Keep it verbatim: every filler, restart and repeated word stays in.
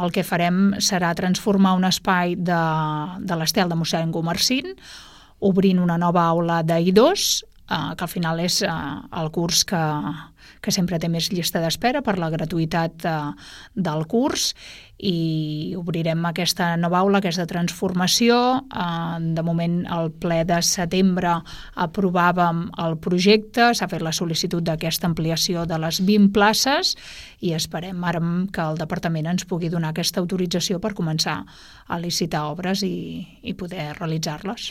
el que farem serà transformar un espai de, de l'Estel de mossèn Gumersind, obrint una nova aula d'I dos, eh, que al final és eh, el curs que, que sempre té més llista d'espera per la gratuïtat eh, del curs, i obrirem aquesta nova aula, aquesta transformació. Eh, de moment, al ple de setembre aprovàvem el projecte, s'ha fet la sol·licitud d'aquesta ampliació de les vint places i esperem ara que el departament ens pugui donar aquesta autorització per començar a licitar obres i, i poder realitzar-les.